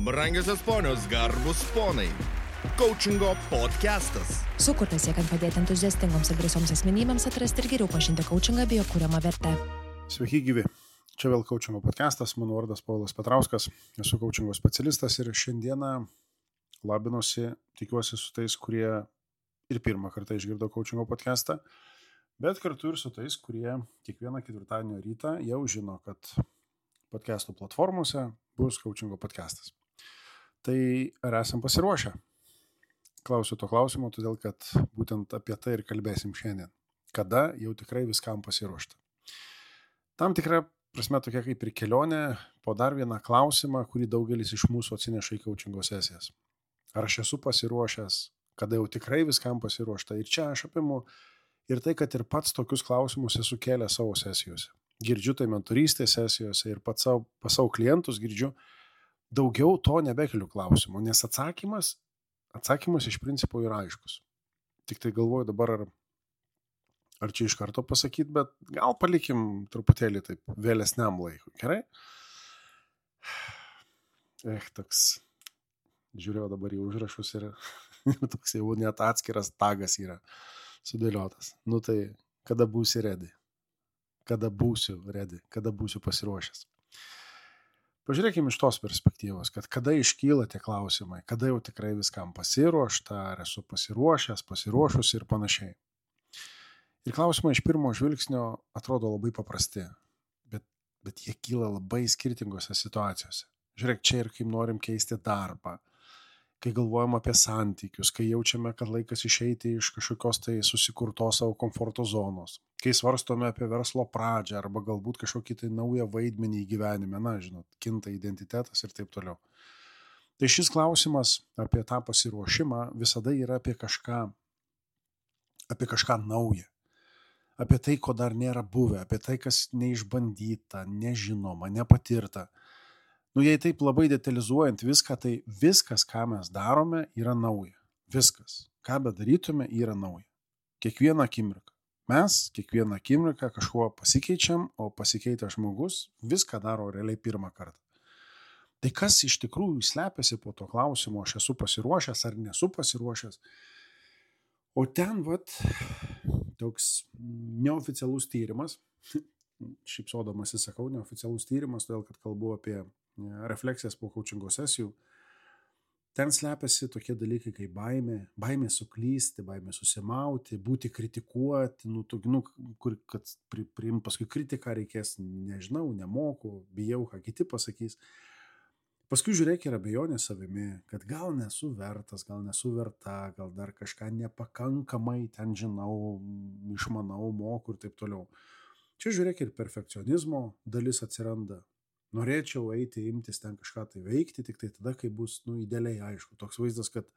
Brangiosios ponios, garbus ponai. Coachingo podcastas. Sukurtas siekiant padėti entuziastingoms ir drąsioms asmenybėms atrasti ir geriau pažinti coachingą bei jo kūriamą vertę. Sveiki gyvi. Čia vėl coachingo podcastas. Mano vardas Paulius Petrauskas. Esu coachingo specialistas ir šiandieną labinuosi, tikiuosi, su tais, kurie ir pirmą kartą išgirdo coachingo podcastą, bet kartu ir su tais, kurie kiekvieną ketvirtadienio rytą jau žino, kad podcastų platformose bus coachingo podcastas. Tai ar esam pasiruošę? Klausiu to klausimo, todėl kad būtent apie tai ir kalbėsim šiandien. Kada jau tikrai viskam pasiruošta. Tam tikra prasme tokia kaip ir kelionė po dar vieną klausimą, kurį daugelis iš mūsų atsineša į coachingo sesijas. Ar aš esu pasiruošęs, kada jau tikrai viskam pasiruošta? Ir čia aš apimu ir tai, kad ir pats tokius klausimus esu kėlęs savo sesijose. Girdžiu tai mentorystės sesijose ir pas savo klientus girdžiu. Daugiau to nebekeliu klausimų, nes atsakymas iš principo yra aiškus. Tik tai galvoju dabar, ar čia iš karto pasakyti, bet gal palikim truputėlį taip vėlesniam laikui, gerai? Toks, žiūrėjau dabar į užrašus ir toks jau net atskiras tagas yra sudėliotas. Nu tai, kada būsi ready? Kada būsiu ready? Kada būsiu pasiruošęs? Pažiūrėkime iš tos perspektyvos, kad kada iškyla tie klausimai, kada jau tikrai viskam pasiruošta, ar esu pasiruošęs, pasiruošusi ir panašiai. Ir klausimai iš pirmo žvilgsnio atrodo labai paprasti, bet jie kyla labai skirtingose situacijose. Žiūrėk, čia ir kaip norim keisti darbą, kai galvojam apie santykius, kai jaučiame, kad laikas išeiti iš kažkokios tai susikurtos savo komforto zonos, kai svarstome apie verslo pradžią arba galbūt kažkokį tai naują vaidmenį į gyvenime, žinot, kinta identitetas ir taip toliau. Tai šis klausimas apie tą pasiruošimą visada yra apie kažką naują, apie tai, ko dar nėra buvę, apie tai, kas neišbandyta, nežinoma, nepatirta. Jei taip labai detalizuojant viską, tai viskas, ką mes darome, yra nauja. Viskas, ką bedarytume, yra nauja. Kiekvieną akimirką. Mes kiekvieną akimirką kažkuo pasikeičiam, o pasikeitęs žmogus viską daro realiai pirmą kartą. Tai kas iš tikrųjų slepiasi po to klausimo, aš esu pasiruošęs ar nesu pasiruošęs? O ten toks neoficialus tyrimas, šypsodamasi sakau, neoficialus tyrimas, todėl kad kalbu apie refleksijas po coachingo sesijų. Ten slepiasi tokie dalykai kaip baimė suklysti, baimė susimauti, būti kritikuoti, kad priimti paskui kritiką reikės, nežinau, nemoku, bijau, ką kiti pasakys. Paskui žiūrėk ir abejonė savimi, kad gal nesu vertas, gal nesu verta, gal dar kažką nepakankamai ten žinau, išmanau, moku ir taip toliau. Čia žiūrėk ir perfekcionizmo dalis atsiranda. Norėčiau imtis ten kažką tai veikti, tik tai tada, kai bus idealiai aišku. Toks vaizdas, kad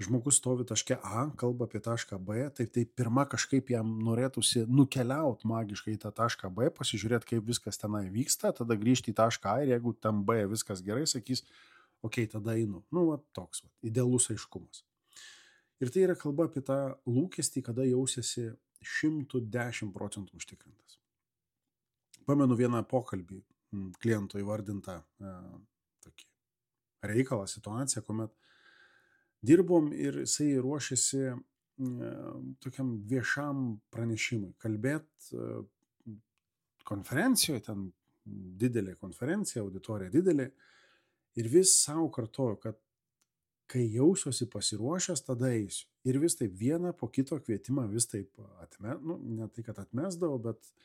žmogus stovi taške A, kalba apie tašką B, tai pirma kažkaip jam norėtųsi nukeliauti magiškai į tą tašką B, pasižiūrėti, kaip viskas tenai vyksta, tada grįžti į tašką A ir jeigu tam B viskas gerai, sakys, okei, tada einu. Toks idealus aiškumas. Ir tai yra kalba apie tą lūkestį, kada jausiesi 110% užtikrintas. Pamenu vieną pokalbį kliento įvardintą tokį reikalą, situaciją, kuomet dirbom ir jisai ruošėsi tokiam viešam pranešimui. Kalbėt konferencijoje, ten didelė konferencija, auditorija didelė, ir vis savo kartoju, kad kai jausiuosi pasiruošęs, tada eisiu. Ir vis taip vieną po kito kvietimą vis taip ne tai, kad atmesdavau, bet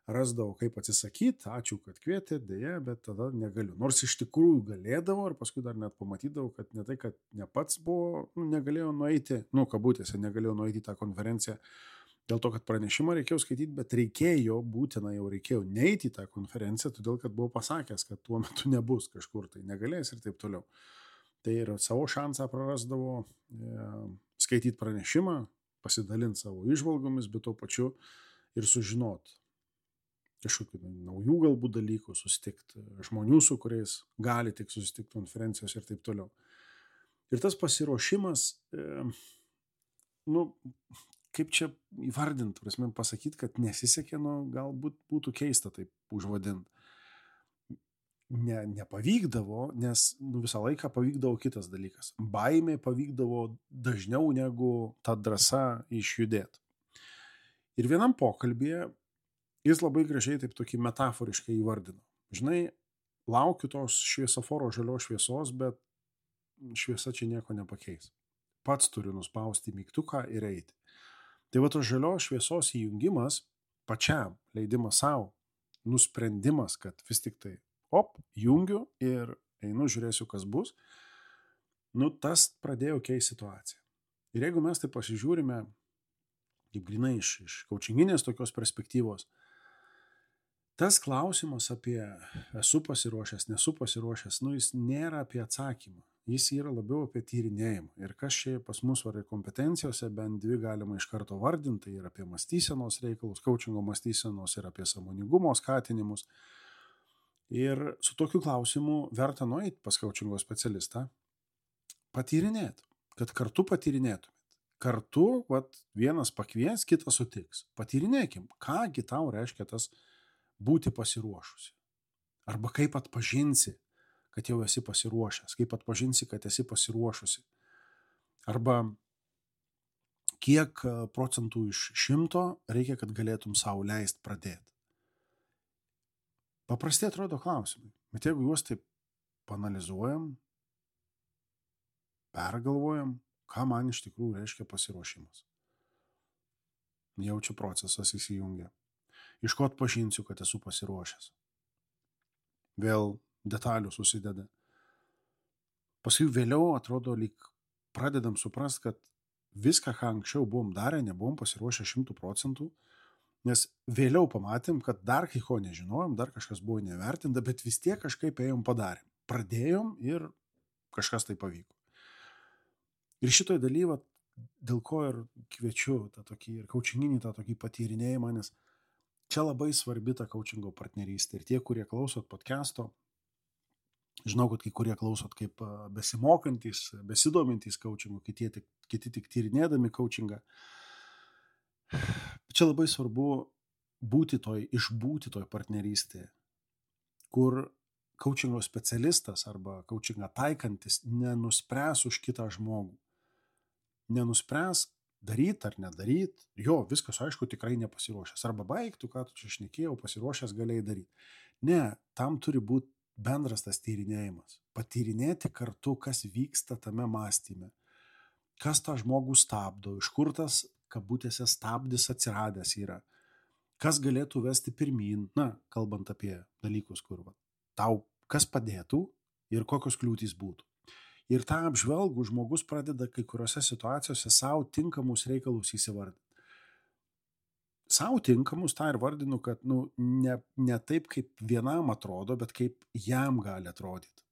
rasdavau, kaip atsisakyti, ačiū, kad kvietė, dėja, bet tada negaliu. Nors iš tikrųjų galėdavau ir paskui dar net pamatydavau, kad ne tai, kad ne pats buvo, negalėjau nueiti, kabutėse, negalėjau nueiti į tą konferenciją dėl to, kad pranešimą reikėjo skaityti, bet reikėjo neiti į tą konferenciją, todėl, kad buvau pasakęs, kad tuo metu nebus kažkur, tai negalės ir taip toliau. Tai ir savo šansą prarasdavau skaityti pranešimą, pasidalinti savo įžvalgomis, bet tuo pačiu ir sužinoti kažkokių naujų galbūt dalykų, susitikti žmonių, su kuriais gali tik susitikti konferencijos ir taip toliau. Ir tas pasiruošimas, kaip čia įvardinti, pasakyti, kad nesisekė, galbūt būtų keista taip užvadinti. nepavykdavo, nes visą laiką pavykdavo kitas dalykas. Baimė pavykdavo dažniau negu ta drąsa išjudėti. Ir vienam pokalbėje jis labai gražiai taip tokį metaforiškai įvardino. Žinai, laukiu tos šviesoforo žalios šviesos, bet šviesa čia nieko nepakeis. Pats turiu nuspausti mygtuką ir eiti. Tai va tos žalios šviesos įjungimas, pačiam leidimas savo, nusprendimas, kad vis tik tai, jungiu ir einu, žiūrėsiu, kas bus, tas pradėjo keisti situaciją. Ir jeigu mes tai pasižiūrime, kaip grinai iš kaučinginės tokios perspektyvos, tas klausimas apie esu pasiruošęs, nesu pasiruošęs, jis nėra apie atsakymą, jis yra labiau apie tyrinėjimą. Ir kas čia pas mus varai kompetencijose, bent dvi galima iš karto vardinti, tai yra apie mąstysenos reikalus, kaučingo mąstysenos ir apie sąmoningumo skatinimus. Ir su tokiu klausimu verta nueiti pas kaučingo specialistą, patyrinėti, kad kartu patyrinėtumėt. Kartu, vienas pakvies, kitas sutiks. Patyrinėkim, kągi tau reiškia tas būti pasiruošusi. Arba kaip atpažinsi, kad jau esi pasiruošęs, kaip atpažinsi, kad esi pasiruošusi. Arba kiek procentų iš 100 reikia, kad galėtum savo leist pradėti. Paprastai atrodo klausimai, bet jeigu juos taip panalizuojam, pergalvojam, ką man iš tikrųjų reiškia pasiruošimas. Jaučiu procesas įsijungia. Iš ko atpažinsiu, kad esu pasiruošęs. Vėl detalių susideda. Paskui vėliau atrodo, lyg pradedam suprast, kad viską, ką anksčiau buvom darę, nebuvom pasiruošę 100%, nes vėliau pamatėm, kad dar kai ko nežinojom, dar kažkas buvo nevertinta, bet vis tiek kažkaip ėjom padarėm. Pradėjom ir kažkas tai pavyko. Ir šitoj daly, dėl ko ir kviečiu tą tokį ir kaučinginį tą tokį patyrinėjimą, nes čia labai svarbi ta kaučingo partnerystė. Ir tie, kurie klausot podcast'o, žinau, kad kai kurie klausot kaip besimokantys, besidomintys kaučingu, kiti tik tyrinėdami kaučingą. Čia labai svarbu išbūti toj partnerystėje, kur kaučingo specialistas arba kaučingą taikantis nenuspręs už kitą žmogų. Nenuspręs daryt ar nedaryt, jo, viskas aišku tikrai nepasiruošęs. Arba baigtų, ką tu čia šnekėjau, pasiruošęs galėjai daryti. Ne, tam turi būti bendras tas tyrinėjimas. Patyrinėti kartu, kas vyksta tame mąstyme. Kas tą žmogų stabdo, iš kur tas kabutėse stabdis atsiradęs yra. Kas galėtų vesti pirmyn, kalbant apie dalykus, kur tau kas padėtų ir kokios kliūtys būtų. Ir tą apžvelgų žmogus pradeda kai kuriuose situacijose savo tinkamus reikalus įsivardinti. Savo tinkamus tą ir vardinu, kad ne taip, kaip vienam atrodo, bet kaip jam gali atrodyti.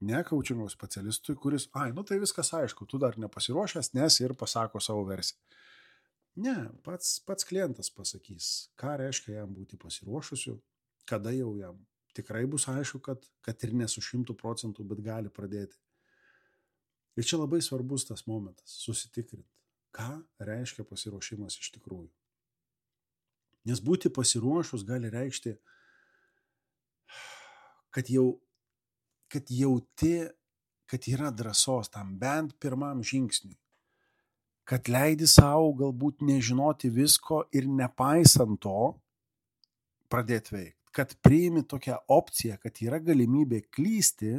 Ne kaučingo specialistui, kuris, tai viskas aišku, tu dar nepasiruošęs, nes ir pasako savo versiją. Ne, pats klientas pasakys, ką reiškia jam būti pasiruošusiu, kada jau jam tikrai bus aišku, kad ir ne su 100%, bet gali pradėti. Ir čia labai svarbus tas momentas, susitikrinti, ką reiškia pasiruošimas iš tikrųjų. Nes būti pasiruošus gali reikšti, kad jauti, kad yra drąsos tam bent pirmam žingsniui, kad leidi savo galbūt nežinoti visko ir nepaisant to pradėti veikti, kad priimi tokią opciją, kad yra galimybė klysti,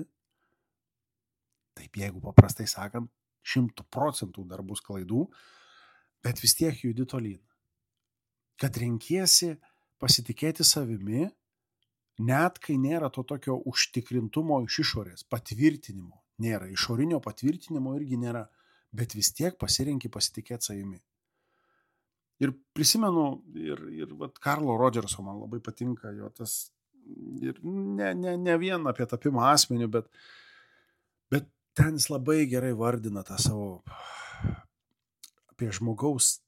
taip jeigu paprastai sakant, 100% dar bus klaidų, bet vis tiek judi tolyn. Kad renkiesi pasitikėti savimi, net kai nėra to tokio užtikrintumo iš išorės, patvirtinimo nėra, išorinio patvirtinimo irgi nėra, bet vis tiek pasirenki pasitikėti savimi. Ir prisimenu, ir Karlo Rodžerso man labai patinka jo tas, ir ne vien apie tapimą asmeniu, bet ten jis labai gerai vardina tą savo, apie žmogaus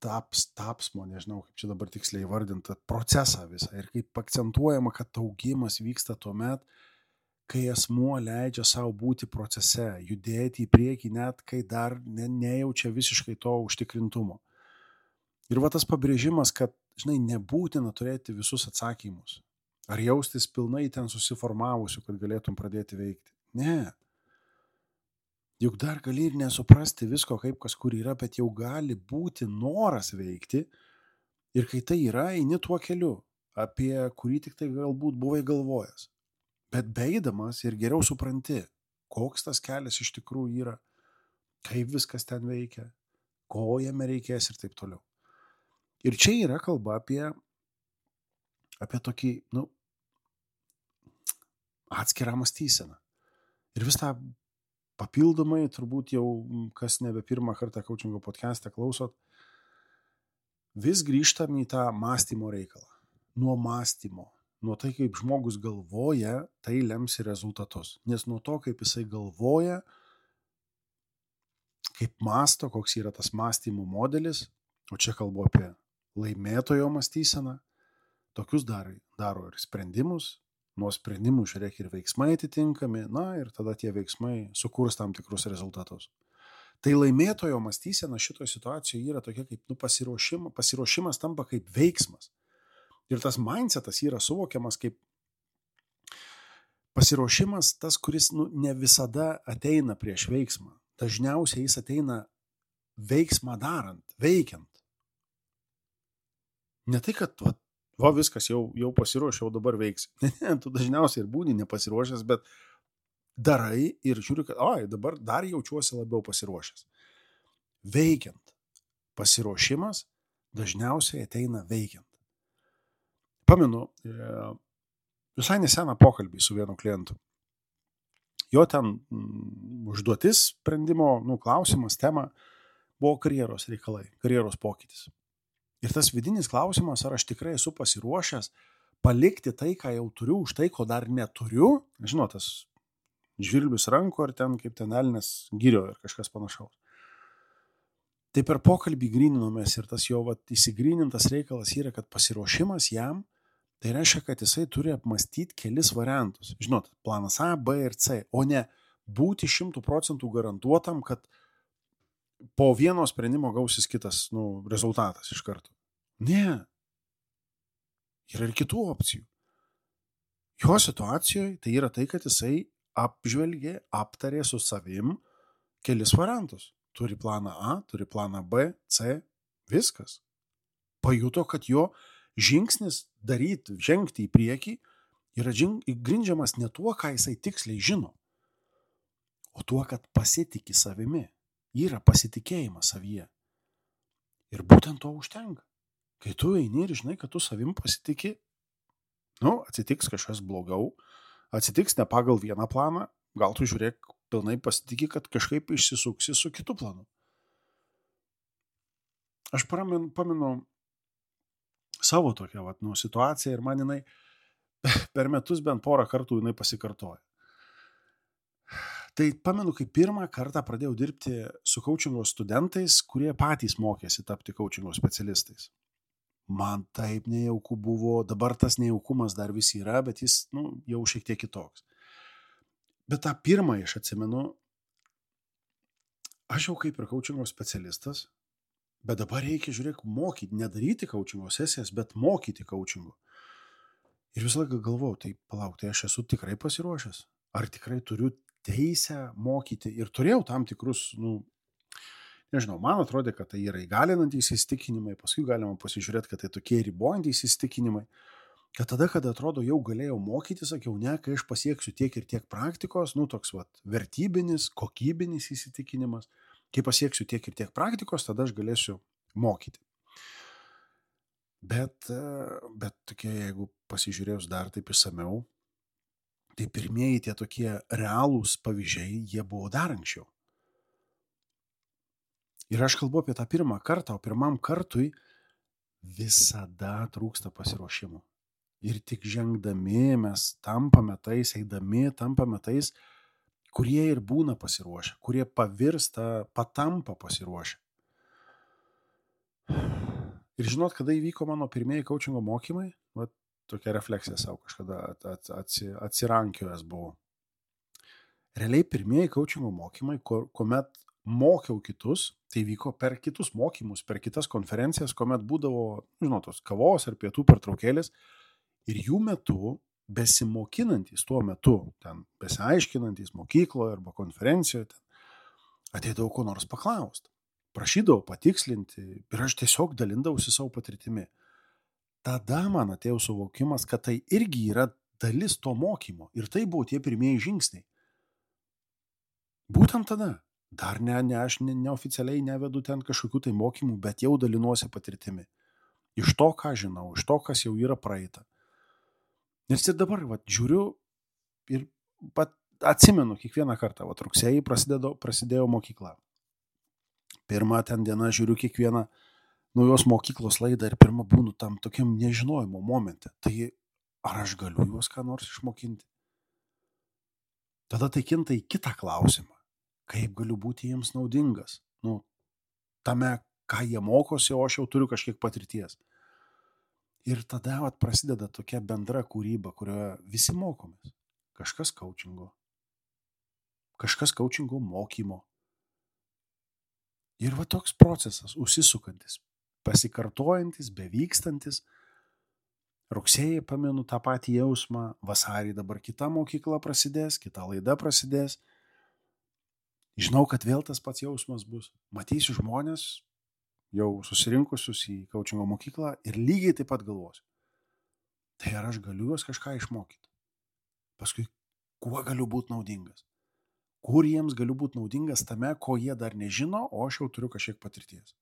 tapsmo, nežinau, kaip čia dabar tiksliai vardinta, procesą visą. Ir kaip akcentuojama, kad augimas vyksta tuomet, kai asmuo leidžia savo būti procese, judėti į priekį, net kai dar nejaučia visiškai to užtikrintumo. Ir tas pabrėžimas, kad, nebūtina turėti visus atsakymus. Ar jaustis pilnai ten susiformavusiu, kad galėtum pradėti veikti? Ne. Juk dar gali ir nesuprasti visko, kaip kas kur yra, bet jau gali būti noras veikti. Ir kai tai yra, eini tuo keliu, apie kurį tik tai galbūt buvai galvojęs. Bet beeidamas ir geriau supranti, koks tas kelias iš tikrųjų yra, kaip viskas ten veikia, ko jame reikės ir taip toliau. Ir čia yra kalba apie tokį, atskirą mąstyseną. Ir vis tą papildomai, turbūt jau, kas nebe pirmą kartą coachingo podcast'e klausot, vis grįžtam į tą mąstymo reikalą. Nuo mąstymo, nuo tai, kaip žmogus galvoja, tai lems ir rezultatus. Nes nuo to, kaip jisai galvoja, kaip mąsto, koks yra tas mąstymo modelis, o čia kalbu apie laimėtojo mąstyseną, tokius daro ir sprendimus, nuo sprendimų žiūrėk ir veiksmai atitinkami, ir tada tie veiksmai sukurs tam tikrus rezultatus. Tai laimėtojo mąstysena šitoje situacijoje yra tokia kaip pasiruošimas tampa kaip veiksmas. Ir tas mindsetas yra suvokiamas kaip pasiruošimas tas, kuris ne visada ateina prieš veiksmą. Dažniausiai jis ateina veiksmą darant, veikiant. Ne tai, kad viskas jau pasiruošiau, dabar veiks. Ne, tu dažniausiai ir būni nepasiruošęs, bet darai ir žiūri, kad dabar dar jaučiuosi labiau pasiruošęs. Veikiant. Pasiruošimas dažniausiai ateina veikiant. Pamenu, visai neseną pokalbį su vienu klientu. Jo ten užduotis sprendimo, klausimas, tema buvo karjeros reikalai, karjeros pokytis. Ir tas vidinis klausimas, ar aš tikrai esu pasiruošęs palikti tai, ką jau turiu, už tai, ko dar neturiu. Žinot, tas žvirblius ranko ir ten kaip ten elnias girio ir kažkas panašaus. Tai per pokalbį gryninomės ir tas jo įsigrynintas reikalas yra, kad pasiruošimas jam, tai reiškia, kad jisai turi apmastyti kelis variantus. Žinot, planas A, B ir C, o ne būti 100% garantuotam, kad po vieno sprendimo gausis kitas rezultatas iš karto. Ne. Yra ir kitų opcijų. Jo situacijoje tai yra tai, kad jisai apžvelgė, aptarė su savim kelis variantus. Turi planą A, turi planą B, C, viskas. Pajuto, kad jo žingsnis žengti į priekį yra grindžiamas ne tuo, ką jisai tiksliai žino, o tuo, kad pasitiki savimi. Yra pasitikėjimas savyje. Ir būtent to užtenka. Kai tu eini ir žinai, kad tu savim pasitiki, atsitiks kažkas blogiau, atsitiks ne pagal vieną planą, gal tu žiūrėk, pilnai pasitiki, kad kažkaip išsisuksi su kitu planu. Aš pamenu savo tokią situaciją ir man jinai per metus bent porą kartų jinai pasikartoja. Tai pamenu, kai pirmą kartą pradėjau dirbti su coachingo studentais, kurie patys mokėsi tapti coachingo specialistais. Man taip nejauku buvo, dabar tas nejaukumas dar vis yra, bet jis jau šiek tiek kitoks. Bet tą pirmą aš atsimenu, aš jau kaip ir coachingo specialistas, bet dabar reikia, mokyti, nedaryti coachingo sesijas, bet mokyti coachingo. Ir visą laiką galvojau, tai palauk, tai aš esu tikrai pasiruošęs. Ar tikrai turiu teisę mokyti? Ir turėjau tam tikrus, nežinau, man atrodė, kad tai yra įgalinantys įsitikinimai, paskui galima pasižiūrėti, kad tai tokie ribojantys įsitikinimai. Kad tada, kada atrodo, jau galėjau mokyti, sakiau, ne, kai aš pasieksiu tiek ir tiek praktikos, toks vertybinis, kokybinis įsitikinimas, kai pasieksiu tiek ir tiek praktikos, tada aš galėsiu mokyti. Bet tokie, jeigu pasižiūrėjus dar taip išsamiau, tai pirmieji tie tokie realūs pavyzdžiai, jie buvo dar anksčiau. Ir aš kalbu apie tą pirmą kartą, o pirmam kartui visada trūksta pasiruošimo. Ir tik žengdami mes tampame tais, eidami tampame tais, kurie ir būna pasiruošę, kurie patampa pasiruošę. Ir žinot, kada įvyko mano pirmieji coachingo mokymai, tokia refleksija savo kažkada atsirankiojęs buvo. Realiai pirmieji coachingo mokymai, kuomet mokiau kitus, tai vyko per kitus mokymus, per kitas konferencijas, kuomet būdavo, tos kavos ar pietų pertraukėlės, Ir jų metu, besimokinantys tuo metu, ten besiaiškinantys mokykloje arba konferencijoje, ateidavau ko nors paklausti. Prašydavau patikslinti ir aš tiesiog dalindavausi savo patirtimi. Tada man atėjo suvokimas, kad tai irgi yra dalis to mokymo. Ir tai buvo tie pirmieji žingsniai. Būtent tada. Dar aš neoficialiai nevedu ten kažkokių tai mokymų, bet jau dalinuosi patirtimi. Iš to, ką žinau, iš to, kas jau yra praeita. Nes ir dabar žiūriu ir atsimenu kiekvieną kartą. Rugsėjį prasidėjo mokykla. Pirmą ten dieną žiūriu kiekvieną naujos mokyklos laidą ir pirmą būnu tam tokiam nežinojimo momente. Tai ar aš galiu juos ką nors išmokinti? Tada tai kinta į kitą klausimą. Kaip galiu būti jiems naudingas? Tame, ką jie mokosi, o aš jau turiu kažkiek patirties. Ir tada prasideda tokia bendra kūryba, kurioje visi mokomės. Kažkas coachingo. Kažkas coachingo mokymo. Ir toks procesas, užsisukantis, pasikartojantis, bevykstantis. Rugsėjį pamenu tą patį jausmą, vasarį dabar kita mokykla prasidės, kita laida prasidės. Žinau, kad vėl tas pats jausmas bus. Matysiu žmonės, jau susirinkusius į coachingo mokyklą ir lygiai taip pat galvosiu. Tai ar aš galiu juos kažką išmokyti? Paskui, kuo galiu būti naudingas? Kur jiems galiu būti naudingas tame, ko jie dar nežino, o aš jau turiu kažkiek patirties.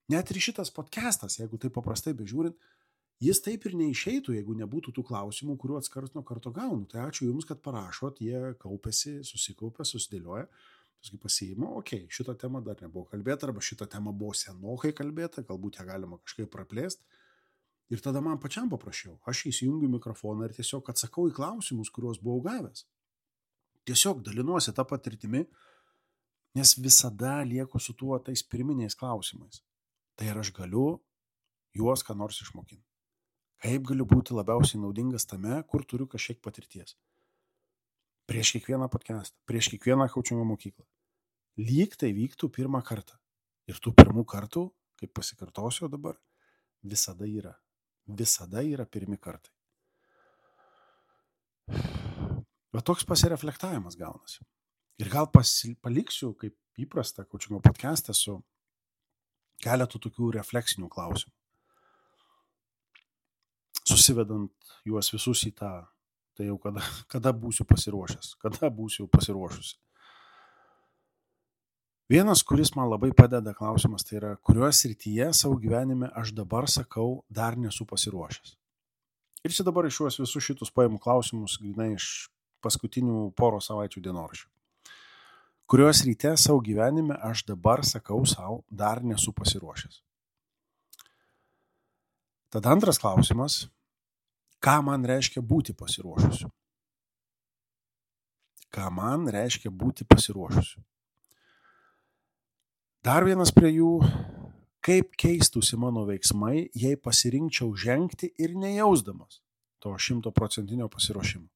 Net ir šitas podcastas, jeigu taip paprastai bežiūrint, jis taip ir neišeitų, jeigu nebūtų tų klausimų, kuriuos karts nuo karto gaunu. Tai ačiū Jums, kad parašot, jie kaupiasi, susikaupia, susidėlioja. Paskui pasiimu, šitą temą dar nebuvo kalbėta, arba šitą temą buvo senokai kalbėta, galbūt ją galima kažkaip praplėsti. Ir tada man pačiam paprašiau. Aš įsijungiu mikrofoną ir tiesiog atsakau į klausimus, kuriuos buvau gavęs. Tiesiog dalinuosi tą patirtimi, nes visada lieku su tuo tais pirminiais klausimais. Tai ar aš galiu juos ką nors išmokinti? Kaip galiu būti labiausiai naudingas tame, kur turiu kažkiek patirties? Prieš kiekvieną podcastą, prieš kiekvieną coachingo mokyklą. Lyg tai vyktų pirmą kartą. Ir tų pirmų kartų, kaip pasikartosiu dabar, visada yra. Visada yra pirmi kartai. Bet toks pasireflektavimas gaunasi. Ir gal paliksiu, kaip įprasta, coachingo podcastą su keletu tokių refleksinių klausimų. Susivedant juos visus į tą, tai jau kada būsiu pasiruošęs, kada būsiu pasiruošusi. Vienas, kuris man labai padeda klausimas, tai yra, kurioje srityje savo gyvenime aš dabar sakau, dar nesu pasiruošęs. Ir čia dabar iš juos visus šitus paimu klausimus, grinai iš paskutinių poros savaičių dienoraščių. Kurios ryte savo gyvenime aš dabar sakau savo, dar nesu pasiruošęs. Tada antras klausimas, ką man reiškia būti pasiruošusiu? Ką man reiškia būti pasiruošusiu? Dar vienas prie jų, kaip keistųsi mano veiksmai, jei pasirinkčiau žengti ir nejausdamas to 100% pasiruošimo.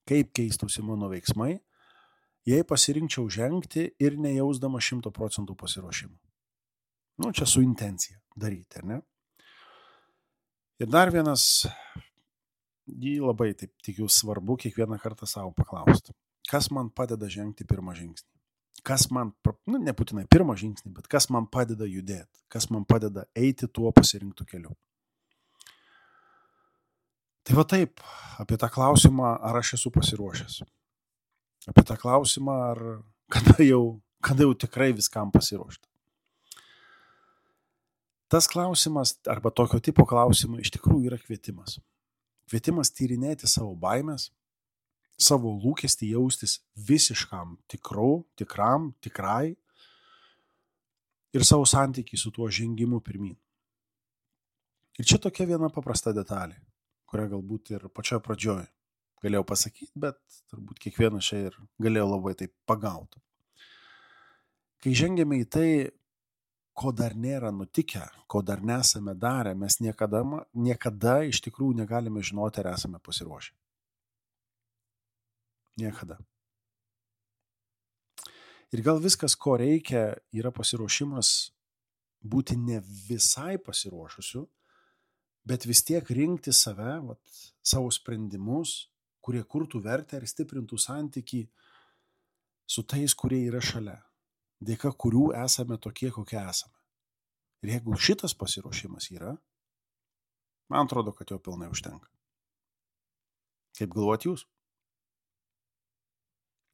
Kaip keistųsi mano veiksmai, jei pasirinkčiau žengti ir nejausdama 100% pasiruošimo. Čia su intencija daryti, ar ne? Ir dar vienas, jį labai taip tikiu svarbu kiekvieną kartą savo paklausti. Kas man padeda žengti pirmą žingsnį? Kas man, nebūtinai pirmą žingsnį, bet kas man padeda judėti? Kas man padeda eiti tuo pasirinktų keliu? Tai taip, apie tą klausimą, ar aš esu pasiruošęs. Apie tą klausimą, ar kada jau tikrai viskam pasiruošti. Tas klausimas, arba tokio tipo klausimai, iš tikrųjų yra kvietimas. Kvietimas tyrinėti savo baimės, savo lūkestį jaustis visiškam tikrai ir savo santykį su tuo žengimu pirmyn. Ir čia tokia viena paprasta detalė, kurią galbūt ir pačioje pradžioje galėjau pasakyti, bet turbūt kiekvienas čia ir galėjo labai taip pagauti. Kai žengėme į tai, ko dar nėra nutikę, ko dar nesame darę, mes niekada iš tikrųjų negalime žinoti, ar esame pasiruošę. Niekada. Ir gal viskas, ko reikia, yra pasiruošimas būti ne visai pasiruošusiu, bet vis tiek rinkti save, savo sprendimus, kurie kurtų vertę ir stiprintų santykį su tais, kurie yra šalia, dėka kurių esame tokie, kokie esame. Ir jeigu šitas pasiruošimas yra, man atrodo, kad jo pilnai užtenka. Kaip galvojat jūs?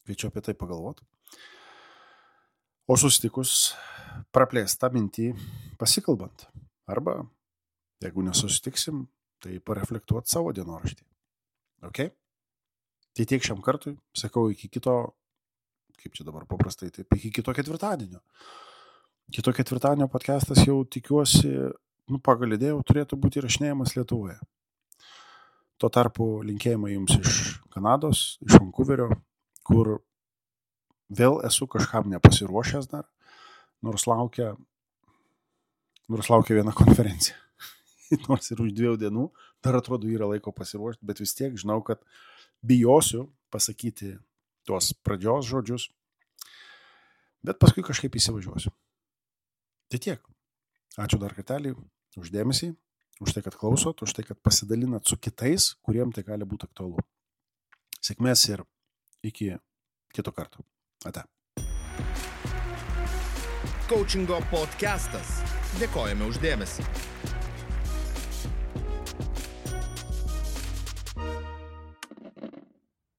Kviečiu apie tai pagalvoti. O susitikus praplėst tą mintį pasikalbant. Arba, jeigu nesusitiksim, tai pareflektuot savo dienoraštį. Ok? Tai tiek šiam kartui. Sakau, iki kito, kaip čia dabar paprastai, taip, iki kito ketvirtadienio. Kito ketvirtadienio podcastas jau tikiuosi, pagal idėją turėtų būti įrašinėjamas Lietuvoje. Tuo tarpu linkėjimai jums iš Kanados, iš Vancouverio, kur vėl esu kažkam nepasiruošęs dar, nors laukia viena konferencija. Nors ir už 2 dienų, dar atrodo yra laiko pasiruošti, bet vis tiek žinau, kad bijosiu pasakyti tuos pradžios žodžius, bet paskui kažkaip įsivažiuosiu. Tai tiek. Ačiū dar kartelį už dėmesį, už tai, kad klausot, už tai, kad pasidalinat su kitais, kuriem tai gali būti aktualu. Sėkmės ir iki kito karto. Ate. Coachingo podcastas. Dėkojame už dėmesį.